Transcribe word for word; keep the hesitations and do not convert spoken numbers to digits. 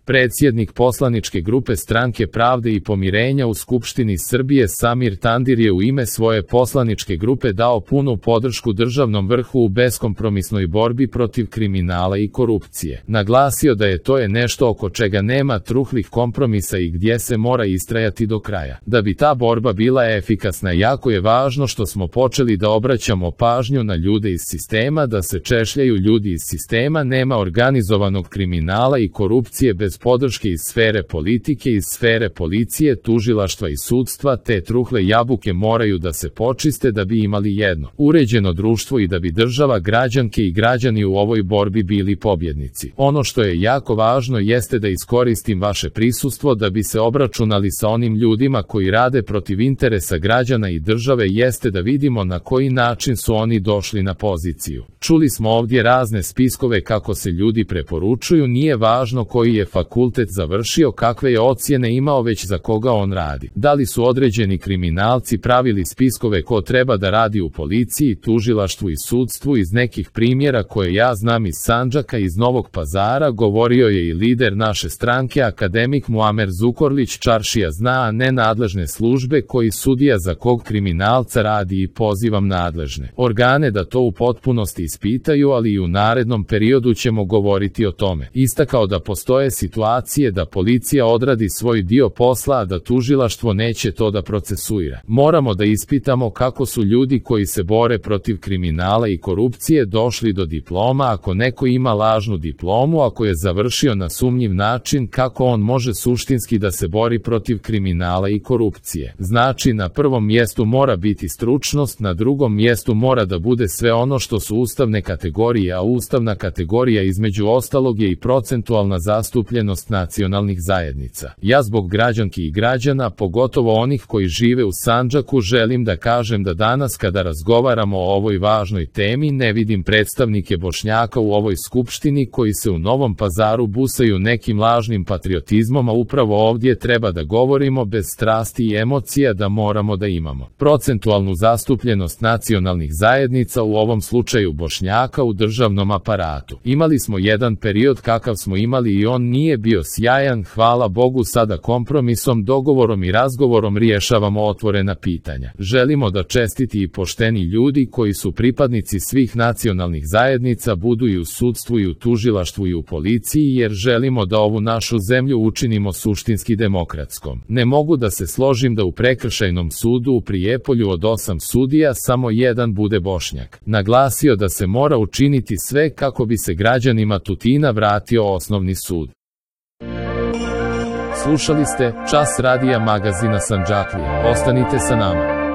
Predsjednik poslaničke grupe Stranke pravde i pomirenja u Skupštini Srbije Samir Tandir je u ime svoje poslaničke grupe dao punu podršku državnom vrhu u beskompromisnoj borbi protiv kriminala i korupcije. Naglasio da je to je nešto oko čega nema truhlih kompromisa i gdje se mora istrajati do kraja. Da bi ta borba bila efikasna, jako je važno što smo počeli da obraćamo pažnju na ljude iz sistema, da se češljaju ljudi iz sistema, nema organizovanog kriminala i korupcije bez podrške iz sfere politike, iz sfere policije, tužilaštva i sudstva, te truhle jabuke moraju da se počiste da bi imali jedno uređeno društvo i da bi država, građanke i građani u ovoj borbi bili pobjednici. Ono što je jako važno jeste da iskoristim vaše prisustvo da bi se obračunali sa onim ljudima koji rade protiv interesa građana i države, jeste da vidimo na koji način su oni došli na poziciju. Čuli smo ovdje razne spiskove kako se ljudi preporučuju, nije važno koji je fakultet završio, kakve je ocjene imao, već za koga on radi. Da li su određeni kriminalci pravili spiskove ko treba da radi u policiji, tužilaštvu i sudstvu? Iz nekih primjera koje ja znam iz Sandžaka, iz Novog Pazara, govorio je i lider naše stranke, akademik Muamer Zukorlić. Čaršija zna, a ne nadležne službe, koji sudija za kog kriminalca radi, i pozivam nadležne organe da to u potpunosti ispitaju, ali i u narednom periodu ćemo govoriti o tome. Istakao da postoje situacije da policija odradi svoj dio posla, a da tužilaštvo neće to da procesuira. Moramo da ispitamo kako su ljudi koji se bore protiv kriminala i korupcije došli do diploma. Ako neko ima lažnu diplomu, ako je završio na sumnjiv način, kako on može suštinski da se bori protiv kriminala i korupcije? Znači, na prvom mjestu mora biti stručnost, na drugom mjestu mora da bude sve ono što su ustavne kategorije, a ustavna kategorija između ostalog je i procentualna zastupljenost nacionalnih zajednica. Ja zbog građanki i građana, pogotovo onih koji žive u Sandžaku, želim da kažem da danas kada razgovaramo o ovoj važnoj temi ne vidim predstavnike Bošnjaka u ovoj skupštini koji se u Novom Pazaru busaju nekim lažnim patriotizmom, a upravo ovdje treba da govorimo bez strasti i emocija, da moramo da imamo procentualnu zastupljenost nacionalnih zajednica, u ovom slučaju Bošnjaka, u državnom aparatu. Imali smo jedan period kakav smo imali i on nije bio sjajan, hvala Bogu sada kompromisom, dogovorom i razgovorom rješavamo otvorena pitanja. Želimo da čestiti i pošteni ljudi koji su pripadnici svih nacionalnih zajednica budu i u sudstvu i u tužilaštvu i u policiji, jer želimo da ovu našu zemlju učinimo suštinski demokratskom. Ne mogu da se složim da u prekršajnom sudu u Prijepolju od osam sudija samo jedan bude Bošnjak. Naglasio da se mora učiniti sve kako bi se građanima Tutina vratio osnovni sud. Slušali ste Čas radija magazina Sandžaklije. Ostanite sa nama.